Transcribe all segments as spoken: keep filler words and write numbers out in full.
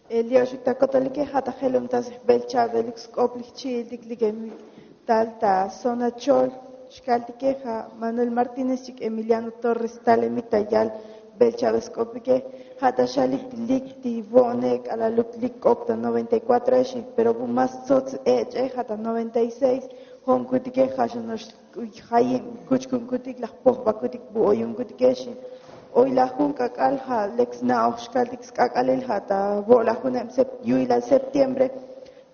Li oxuk ta kotolike ja' ta jelum ta sbel cha'belik sk'op li jchi'iltik li kemik tal ta zona chol. Xkaltike ja' Manuel Martínez chik Emiliano Torres talemik ta yal bel cha'be sk'opike. Ja' ta xalik lik ti vo'ne k'alaluk lik k'op ta noventa y cuatro exe, pero bu más tsots ech'e ja' ta noventa y seis. Jo'onkutike ja' xa nox jayib kuchkunkutik laj pojbakutik bu oyunkutike xi. Oy laj jun k'ak'al ja' lek sna'oj xkaltik sk'ak'alil ja' ta vo' laj juneb yu'ilal septiembre.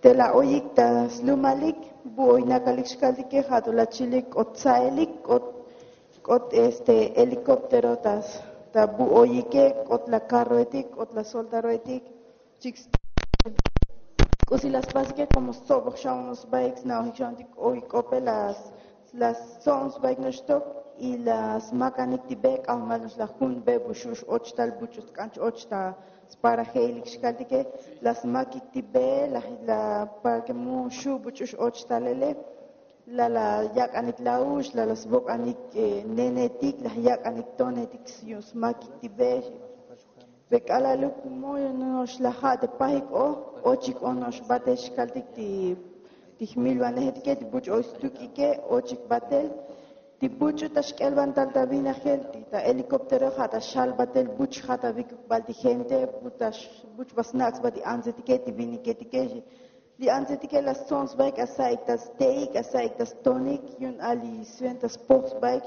Te la oyik ta slumalik bu oy nakalik xkaltike ja' to la chilik k'ot tsaelik k'ot k'ot este helicóptero ta bu oyike k'ot la karroetik k'ot la soldaroetik. Chik k'usi la spasike komo stsoboj xa'un sbaik sna'ojik xa'untik oy k'ope la stso'on sbaik noxtok. Y la smakanik ti be k'ajmal nox la jun be bu xu' x-och tal buch'u sk'an ch-och ta sparajeilik xkaltike. La smakik ti be la para ke mu xu' buch'u x-och talele. La la yak'anik la'ux la la svok'anik nenetik la yak'anik tonetik yu'un smakik ti be. Be k'alaluk moyo no'ox la ja' te pajik o ochik o no'ox batel xkaltik ti jmilvanejetike ti buch'u oy stuk'ike ochik batel. Ti buch'u ta xk'elvantal ta vinajel ti ta helicóptero ja' ta xal batel buch' ja' ta vikuk bal ti gente. Buch ba snak' sba ti antsetike ti viniketike. Li antsetike la stso'on sbaik asa'ik ta ste'ik asa'ik ta stonik yu'un a li sventa spoj sbaik.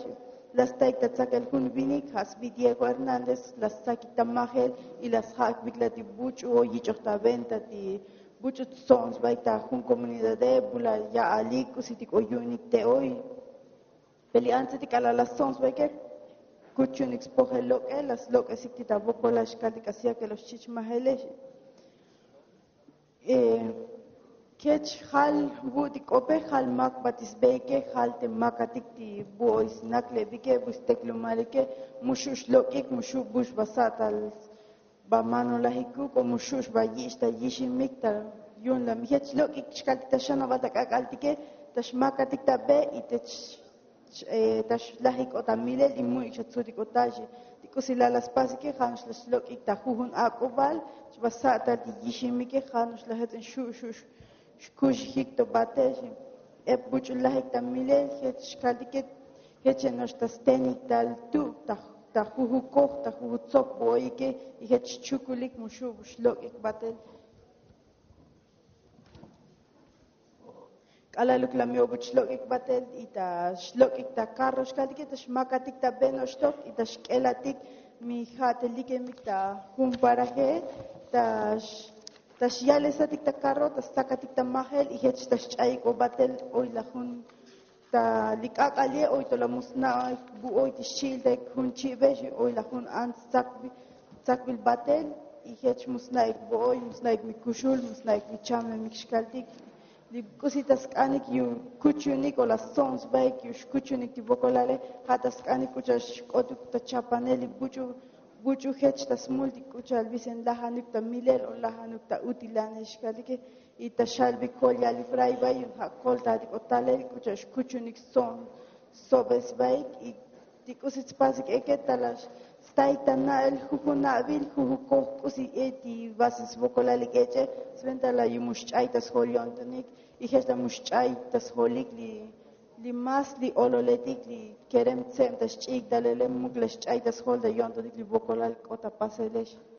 La staik ta tsakel jun vinik ja' sbi diego hernández la stsakik ta majel. Y la sja'ik vikla ti buch'u o yich'oj ta venta ti buch'u tso'on sbaik ta jun komunidade bu la ya'alik k'usitik o yu'unik te oy. Pe li antsetik k'ala' la stso'on sbaike kuchunik spojel lok'e la slok'esik ti ta vokolal xkaltik así a ke lo xchich majele. Kech jal vu' ti k'ope jal mak ba ti sbeike jal te makatik ti bu oy snakle'bike bu steklumalike. Mu xu' xlok'ik mu xu' bu xba sa'tal ba manolajikuk o mu xu' xba yich' ta yiximik ta yu'un la mi jech lok'ik xkaltik ta xanabal ta k'ak'altike ta xmakatik ta be y te ta xlajik o ta milel y mu'ik xa tsutik o tal xi. Ti k'usi la la spasike ja' no'ox la xlok'ik ta jujun ak'ubal xba sa'tal ti yiximike ja' no'ox la jets'in xu' xu' xkuxijik to batel xi. Ep buch'u lajik ta milel jech xkaltike jeche no'ox ta stenik tal tu' ta jujukoj ta jujutsok bu oyike y jech xchukulik mu xu' bu xlok'ik batel. K'alaluk la mi obuch xlok'ik batel y ta xlok'ik ta karro xkaltike ta xmakatik ta beno'oxtok y ta xk'elatik mi ja' te likemik ta jun paraje ta xyalesatik ta karro ta stakatik ta majel y jech ta xch'ayik o batel. Oy la jun ta li k'ak'al ye' oy to la mu sna'ik bu oy ti xchi'iltaik jun chi'be xi oy la jun ants tsakbil batel. Y jech mu sna'ik bu oy mu sna'ik mi kuxul mu sna'ik mi chamemik xkaltik li k'usi ta sk'anik yu kuchunik o la stso'on sbaik yu xkuchunik ti vokolale ja' ta sk'anik k'u cha'al xk'otuk ta chapanel li buch'u buch'u jech ta smul ti k'u cha'al visen lajanuk ta milel o lajanuk ta utilanel xkaltike. Y ta xalbik jol ya'al li fray bay yu'un ja' koltatik o talel k'u cha'al xkuchunik stso'on sobel sbaik y ti k'usi tspasik eke ta la staik ta na'el jujun na'bil jujukoj k'usi e ti vasil svokolalik ech'e. Sventa la yu mu xch'ay ta sjol yo'ntonik y jech la mu xch'ay ta sjolik li más li ololetik li kerem tseb ta xch'iyik talele muk la xch'ay ta sjol ta yo'ntonik li vokolal k'ot ta paselex.